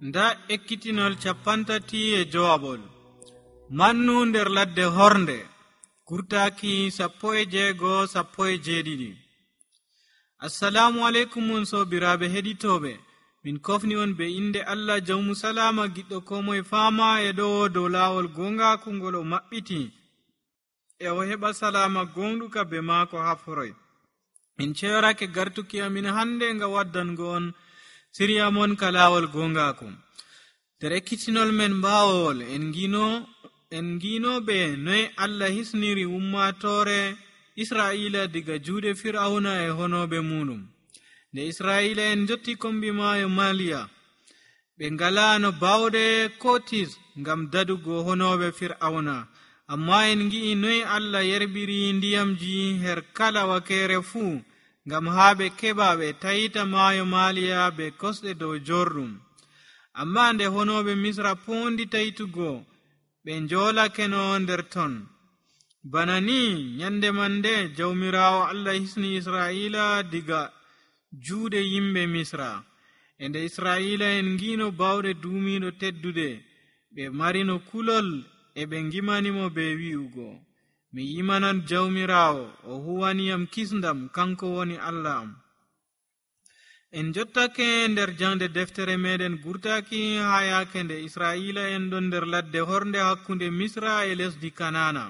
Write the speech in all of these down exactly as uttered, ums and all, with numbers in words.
nda ekkitinol capantati e jowabol mannu nder ladde hornde kurtaki sappo e jeego sappo e jeeɗiɗi. assalamu aleykum on sobiraɓe heɗitoɓe, min kofni on be inde Allah jawmu salama giɗɗo ko moye fama e ɗo dow lawol gongaku ngol o maɓɓiti e o heɓa salama gonɗuka be maako haforoy. min ceyorake gartuki amin hande nga waddango on siriya mon ka lawol gongaku. nder ekkitinol men mbawol en gino en gino be noy Allah hisniri ummatore Israila diga juuɗe Fir'auna e honoɓe muɗum. nde Israila en jotti kombi maayo Maliya, ɓe ngalano bawɗe kotis ngam dadugo honoɓe Fir'auna, amma en gi'i noy Allah yerbiri ndiyamji her kala wakere fuu ngam haa ɓe keɓa ɓe tayita maayo Maliya be kosɗe dow jorɗum. amma nde honoɓe Misra pondi tayitugo, ɓe njolakeno nder ton. bana ni nyande man nde jawmirawo Allah hisni Israila diga juuɗe yimɓe Misra. e nde Israila en ngino bawɗe duumiɗo teddude, ɓe marino kulol e ɓe gimanimo be wi'ugo, mi yimanan jawmirawo o huwaniyam kisndam, kanko woni Allah am. en jottake nder jangde deftere meɗen gurtaki ha yake nde Israila en ɗon nder ladde hornde hakkunde Misra e lesdi Kanana.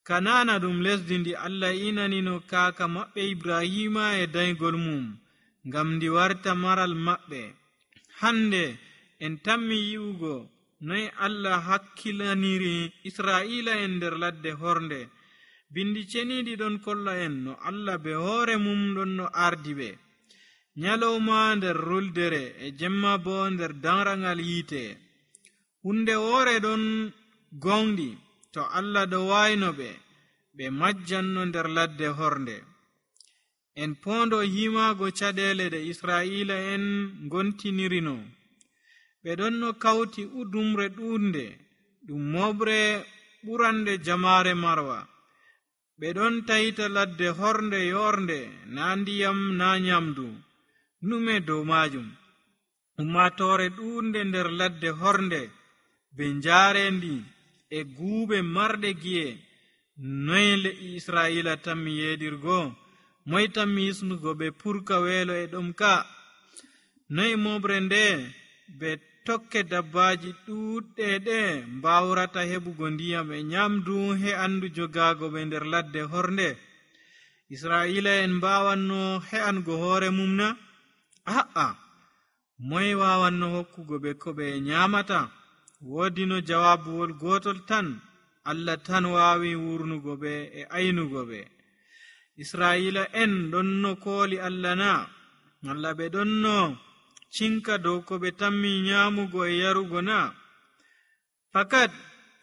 Kanana ɗum lesdi ndi Allah inanino kaka maɓɓe Ibrahima e daygol mum ngam ndi warta maral maɓɓe. hande en tammi yi'ugo noy Allah hakkilaniri Israila en nder ladde hornde. bindi ceniɗi ɗon kolla en no Allah be hoore mum ɗon no ardi ɓe, nyalowma nder ruldere e jemma bo nder danrangal yiite. hunde woore ɗon gonɗi to Allah ɗo wayno ɓe, ɓe majjanno nder ladde hornde. en pondo himago caɗele ɗe Israila en gontinirino. ɓe ɗon no kawti udumre ɗunde ɗum moɓre ɓurande jamare marwa. ɓe ɗon tayita ladde hornde yornde, na ndiyam na nyamdu nume dow majum. ummatore ɗunde nder ladde hornde be njarendi e guube marɗe gi'e. noy le'i Israila tammi yeɗirgo? moy tammi hisnugo ɓe purka weelo e ɗom ka? noy moɓre nde be tokke dabbaji ɗuɗɗe ɗe mbawrata heɓugo ndiyam e nyamdu he andu jogago ɓe nder ladde hornde? Israila en mbawanno he'ango hoore mum na? a'a, moy wawanno hokkugo ɓe ko ɓe nyamata? woodi no jawabuwol gotol tan, Allah tan wawi wurnugo ɓe e aynugo ɓe. Israila en ɗon no kooli Allah na? Allah ɓe ɗon no cinka dow ko ɓe tammi nyamugo e yarugo na? fakat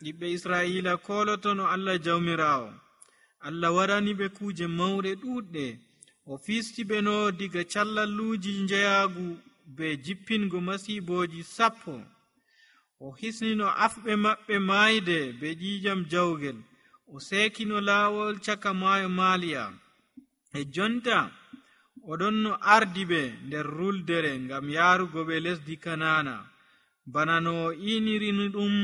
yimɓe Israila koloto no Allah jawmirawo. Allah waɗani ɓe kuje mawɗe ɗuɗɗe. o fisti ɓe no diga callalluji njeyagu be jippingo masiboji sappo. o hisnino afɓe maɓɓe maayde be ƴiƴam jawgel. o sekino laawol caka maayo Maliya. e jonta oɗon no ardi ɓe nder ruldere ngam yarugo ɓe lesdi Kanana, bana no o inirini ɗum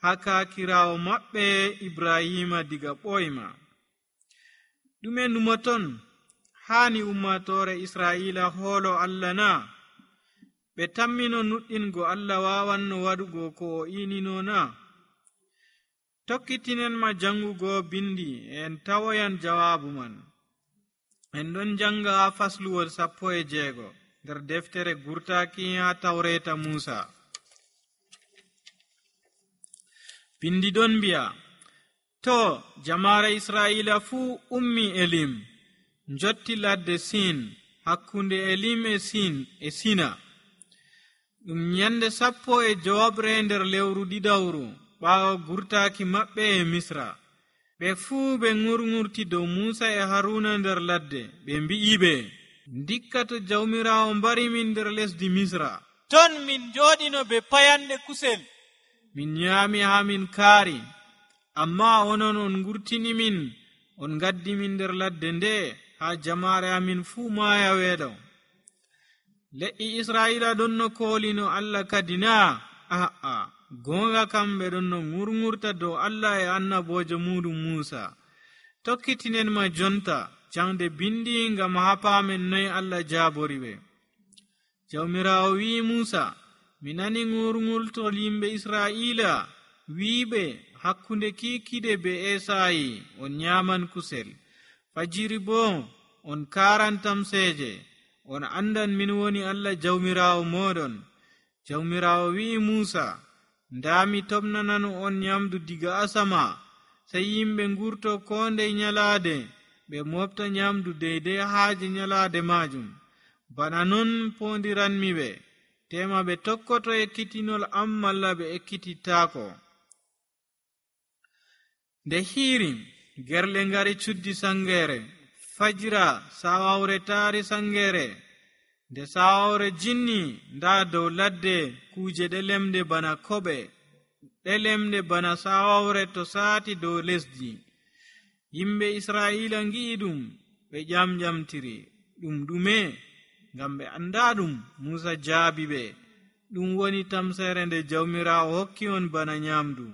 ha kakirawo maɓɓe Ibrahima diga ɓoyma. ɗume numoton hani ummatore Israila hoolo Allah na? ɓe tammino nuɗɗingo Allah wawanno waɗugo ko o inino na? tokkitinenma jangugo bindi en tawoyan jawabu man. en ɗon janga ha fasluwol sappo e jeego nder deftere gurtaki ha tawreta Musa. bindi ɗon mbi'a, to jamare Israila fuu ummi Elim, jotti ladde Sin, hakkunde Elim e Sin e Sina. ɗum nyande sappo e jowabre nder lewru ɗiɗawru ɓaawo gurtaki maɓɓe e Misra. ɓe fuu ɓe ŋurŋurti dow Musa e Haruna nder ladde. ɓe mbi'iɓe, ndikka to jawmirawo mbari min nder lesdi Misra, ton min joɗino be payanɗe kusel, min nyami ha min kaari. amma onon on ngurtini min, on gaddi min nder ladde nde, ha jamare amin fuu maaya weeɗo. leƴƴi israila ɗon no koolino Allah kadi na? Aa, goonga kamɓe ɗon no ŋurŋurta dow Allah e annabojo muɗum Muusa. Tokkitinen ma jonta jangde bindi ngam hapamen noy Allah jaabori ɓe. Jawmirawo wi'i Muusa, mi nani ŋurŋultol yimɓe Israila wi'iɓe hakkunde kikiɗe be Esayi on nyaman kusel, fajiri bo on karan tamseje, on andan min woni Allah jawmirawo moɗon. Jawmirawo wi'i Muusa, nda mi tobnanano on nyamdu diga asama, sai yimɓe ngurto ko ndey nyalade ɓe mofta nyamdu deydey haaje nyalade majum. Bana non pondiranmi ɓe, tema ɓe tokkoto ekkitinol am malla ɓe ekkitittaako. Nde hiiri gerle ngari cuddi sangere, fajira sawawre taari sangere. Nde sawawre jinni, nda dow ladde kuje ɗelemde bana koɓe, ɗelemde bana sawawre to saati dow lesdi. Yimɓe Israila ngi'i ɗum ɓe ƴamƴamtiri. Ɗum ɗume? Ngam ɓe anda ɗum. Muusa jaabi ɓe, ɗum woni tamsere nde jawmirawo hokki on bana nyamdu.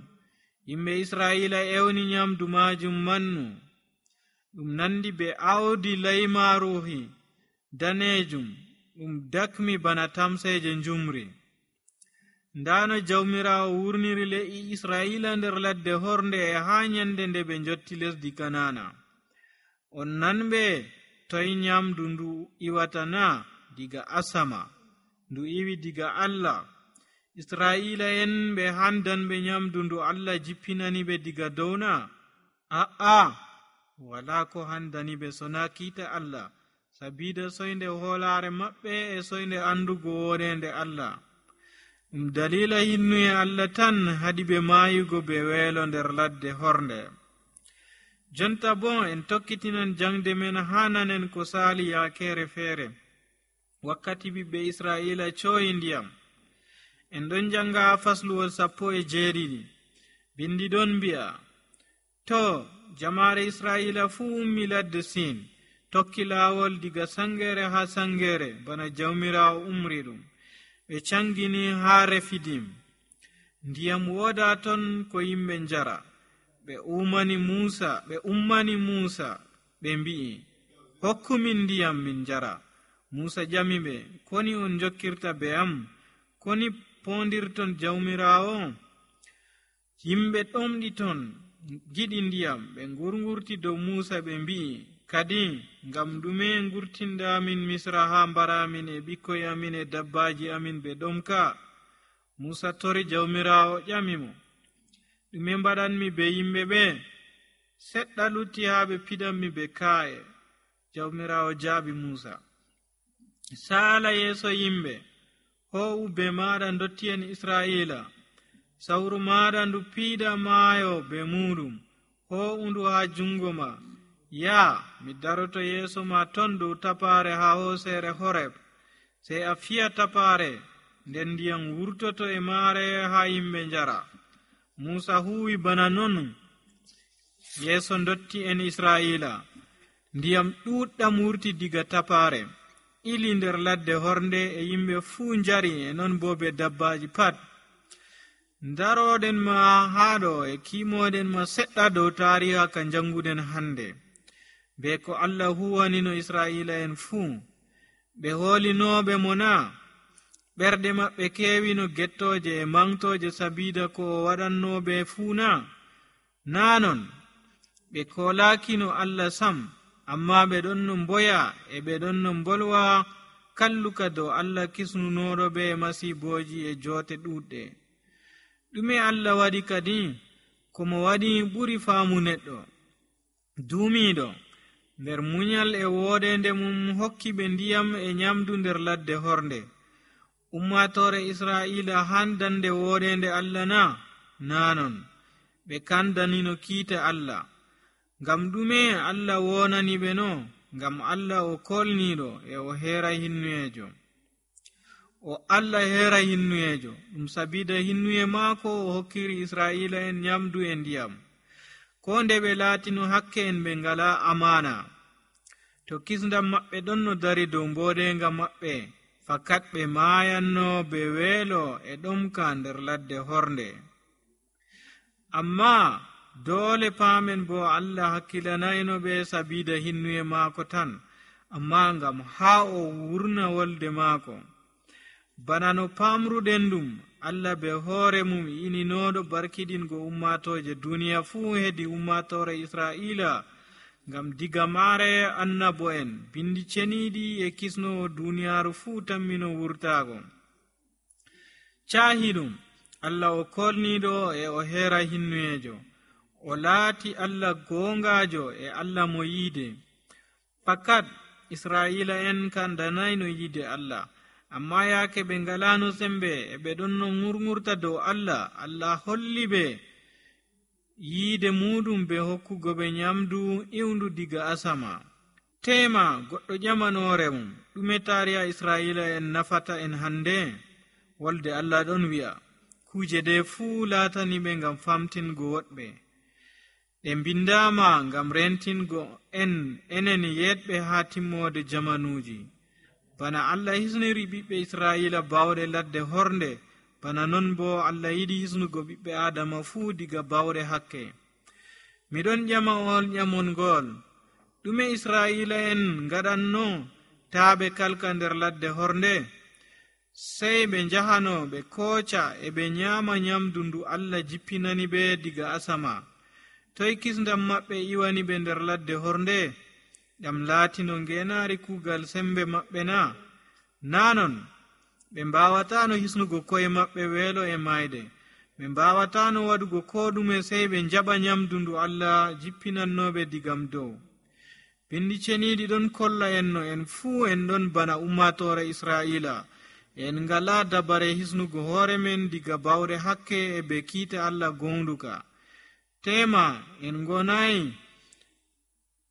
Yimɓe Israila ewni nyamdu majum mannu. Ɗum nandi be awdi laymaruhi danejum, ɗum dakmi bana tamseje njumri. Ndano jawmirawo wurniri le'i Israila nder ladde hornde e ha nyande nde ɓe jotti lesdi Kanana. On nanɓe toy nyamdu ndu iwata na? Diga asama, ndu iwi diga Allah. Israila en ɓe handanɓe nyamdu ndu Allah jippinani ɓe diga downa? A'a, wala ko handani ɓe sona kiita Allah, sabida soynde hoolare maɓɓe e soynde andugo wonende Allah. Ɗum dalila hinnuye Allah tan haɗi ɓe maayugo be weelo nder ladde hornde. Jonta bon en tokkitinan jangde men hananen ko saali yaakere feere, wakkati ɓiɓɓe Israila coyi ndiyam. En ɗon janga fasluwol sappo e jeeɗiɗi. Bindi ɗon mbi'a, to jamaare Israila fuu ummi ladde Sin, tokki laawol diga sangere ha sangere bana jawmirawo umri ɗum. Ɓe cangini ha Refidim. Ndiyam woda ton ko yimɓe njara. Ɓe umani Muusa, ɓe ummani Muusa, ɓe mbi'i, hokkumin ndiyam min njara. Muusa ƴami ɓe, koni on jokkirta be am? Koni pondirton jawmirawo? Yimɓe ɗomɗi ton giɗi ndiyam. Ɓe ngurngurti dow Muusa ɓe mbi'i, kadi ngam ɗume ngurtinda amin Misra ha mbaramin e ɓikkoy amin e dabbaji amin ɓe ɗomka? Muusa tori jawmirawo ƴami mo, ɗume mbaɗanmi be yimɓe ɓe? Seɗɗa lutti ha ɓe piɗanmi be kaaye. Jawmirawo jaabi Muusa, saala yeeso yimɓe, ho'u be maɗa dotti en Israila. Sawru maɗa ndu piiɗa maayo be muɗum, ho'undu ha jungo ma. Ya, mi daroto yeeso ma ton dow tapare ha hoosere Horeb. Sey a fiya tapare, nden ndiyam wurtoto e maare ha yimɓe njara. Muusa huwi bana non yeeso dotti en Israila. Ndiyam ɗuɗɗam wurti diga tapare, ili nder ladde hornde e yimɓe fuu njari, e non bo be dabbaji pat. Daroɗen ma haɗo e kimoɗen ma seɗɗa dow tariha ka janguden hande, be ko Allah huwanino Israila en fuu. Ɓe hoolinoɓe mo na? Ɓerɗe maɓɓe kewi no gettoje e mangtoje sabida ko o waɗannoɓe fuu na? Nanon, ɓe kolakino Allah sam, amma ɓe ɗon no mboya e ɓe ɗon no mbolwa kalluka dow Allah kisnunoɗo ɓe masiboji e joote ɗuɗɗe. Ɗume Allah waɗi kadi? Komo waɗi ɓuri faamu neɗɗo. Duumiɗo nder munyal e woodende mum hokki ɓe ndiyam e nyamdu nder ladde hornde. Ummatore Israila handande woodende Allah na? Nanon, ɓe kandanino kiita Allah. Ngam ɗume Allah wonani ɓe no? Ngam Allah o kolniɗo e o heera hinnuyejo. O Allah heera hinnuyejo, ɗum sabida hinnuye maako o hokkiri Israila en nyamdu e ndiyam. Ko nde ɓe laatino hakke en ɓe ngala amana. To kisndam maɓɓe ɗon no dari dow mbodenga maɓɓe, fakat ɓe maayanno be weelo e ɗomka nder ladde hornde. Amma doole paamen bo Allah hakkilanayno ɓe sabiida hinnuye maako tan, amma ngam haa o wurna wolde maako. Bana no paamruɗen ɗum, Allah be hoore mum ininooɗo barkidingo ummatooje duniya fuu hedi ummatoore Israa'iila, ngam diga maare annabo'en bindi ceniiɗi e kisnowo duniyaaru fuu tammino wurtaago. Caahi ɗum, Allah o kolniiɗo e o heera hinnuyeejo, o laati Allah goongaajo e Allah mo yiide. Fakat Israa'iila en kandanayno yiide Allah, amma yaake ɓe ngalaano sembe e ɓe ɗon no ŋurŋurta dow Allah, Allah holli ɓe yiide muɗum be hokkugo ɓe nyamdu iwndu diga asama. Tema goɗɗo ƴamanoore mum, ɗume taariya Israa'iila en nafata en hande? Wolde Allah ɗon wi'a, kuje ɗe fuu laatani ɓe ngam famtingo woɗɓe. Ɗe mbindaama ngam rentingo en enen yeɗɓe haa timmoode jamanuuji. Bana Allah hisniri ɓiɓɓe Israa'iila bawɗe ladde hornde, bana non bo Allah yiɗi hisnugo ɓiɓɓe Adama fuu diga bawɗe hakke. Miɗon ƴama on ƴamongol, ɗume Israa'iila en ngaɗanno taa ɓe kalka nder ladde hornde? Sey ɓe njahano ɓe kooca e ɓe nyaama nyamdu ndu Allah jippinani ɓe diga asama. Toy kisndam maɓɓe iwani ɓe nder ladde hornde? Ɗam laatino ngeenaari kuugal sembe maɓɓe na? Nanon, ɓe mbaawataano hisnugo koye maɓɓe weelo e mayde. Ɓe mbaawataano waɗugo koo ɗume sey ɓe njaɓa nyamdu ndu Allah jippinannooɓe digam dow. Bindi ceniiɗi ɗon kolla en no en fuu en ɗon bana ummatoore Israa'iila. En ngalaa dabare hisnugo hoore men diga bawɗe hakke e be kiita Allah goonduka. Tema en ngonayi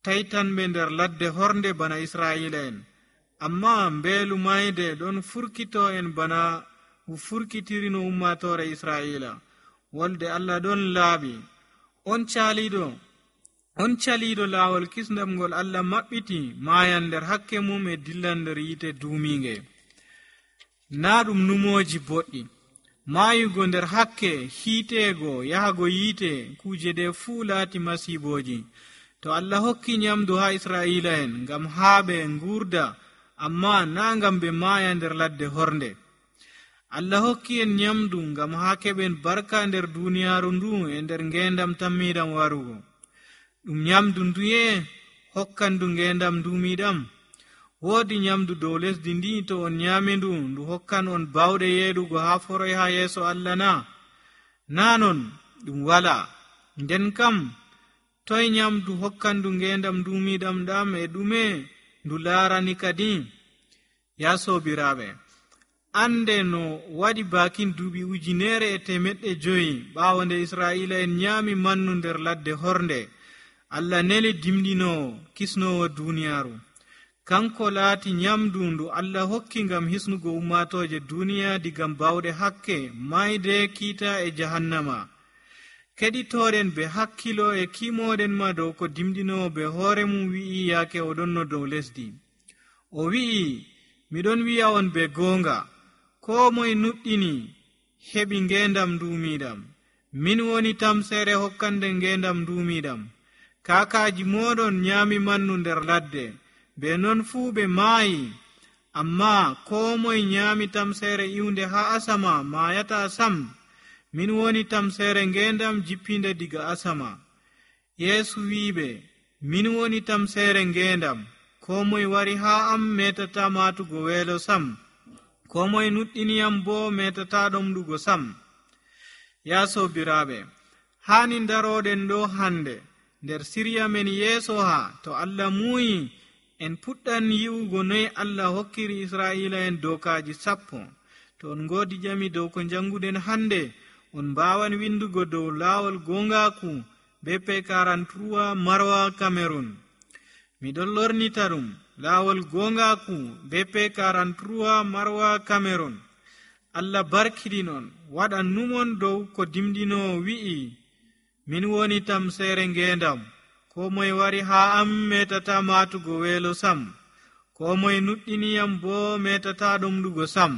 taytanɓe nder ladde hornde bana Israa'iila en, amma mbeelu mayde ɗon furkito en bana furkitiri no ummatoore Israa'iila. Wolde Allah ɗon laaɓi, on caaliiɗo on caliiɗo laawol kisndam ngol Allah maɓɓiti maayan nder hakke mum e dillan nder yiite duumiinge. Naa ɗum numooji boɗɗi, maayugo nder hakke, hiiteego, yahago yiite, kuuje ɗe fuu laati masiibooji. To Allah hokki nyamdu haa Israa'iila en ngam haa ɓe nguurda, amma naa ngam ɓe maaya nder ladde hornde. Allah hokki en nyamdu ngam haa keɓen barka nder duuniyaaru ndu e nder ngeendam tammiiɗam warugo. Ɗum nyamdu nduye hokkandu ngeendam duumiiɗam? Woodi nyamdu dow lesdi ndi, to on nyaami ndu, ndu hokkan on bawɗe yeeɗugo haa foroy haa yeeso Allah na? Naa non, ɗum walaa. Nden kam, toy nyamdu hokkandu ngeendam duumiiɗam ɗam e ɗume ndu laarani kadi? Yaa soobiraaɓe, ande no waɗi baakin duuɓi ujineere e temeɗɗe joyi ɓaawo nde Israa'iila en nyaami mannu nder ladde hornde, Allah neli dimɗinoowo kisnoowo duuniyaaru. Kanko laati nyamdu ndu Allah hokki ngam hisnugo ummatooje duniya digam bawɗe hakke, mayde, kiita e jahannama. Keɗitooɗen be hakkilo e kiimooɗen ma dow ko dimɗinoowo be hoore mum wi'i yaake o ɗon no dow lesdi. O wi'i, miɗon wi'a on be goonga, koo moye nuɗɗini heɓi ngeendam duumiiɗam. Min woni tamseere hokkande ngeendam duumiiɗam. Kaakaaji mooɗon nyaami mannu nder ladde, be non fuu ɓe maayi, amma koo moye nyaami tamseere iwnde haa asama maayataa sam. Min woni tamseere ngeendam jippinde diga asama. Yeesu wi'iɓe, min woni tamseere ngeendam. Koo moye wari haa am metataa maatugo weelo sam. Koo moye nuɗɗiniyam boo metataa ɗomɗugo sam. Yaa soobiraaɓe, haani ndarooɗen ɗo hande nder sirya men yeeso haa to Allah muuyi en puɗɗan yi'ugo noy Allah hokkiri Israa'iila en dokaaji sappo. To on ngoodi ƴami dow ko njannguɗen hande, on mbaawan windugo dow laawol goongaaku B P quarante-trois Marwa Cameroon. Miɗon lornita ɗum, laawol goongaaku B P quarante-trois Marwa Cameroon. Allah barkiɗinon, waɗan numon dow ko dimɗinoo wi'i, min woni tamseere ngeendam. Ko moye wari haa am metataa maatugo weelo sam. ko moye nuɗɗiniyam boo metata ɗum ɗugo sam.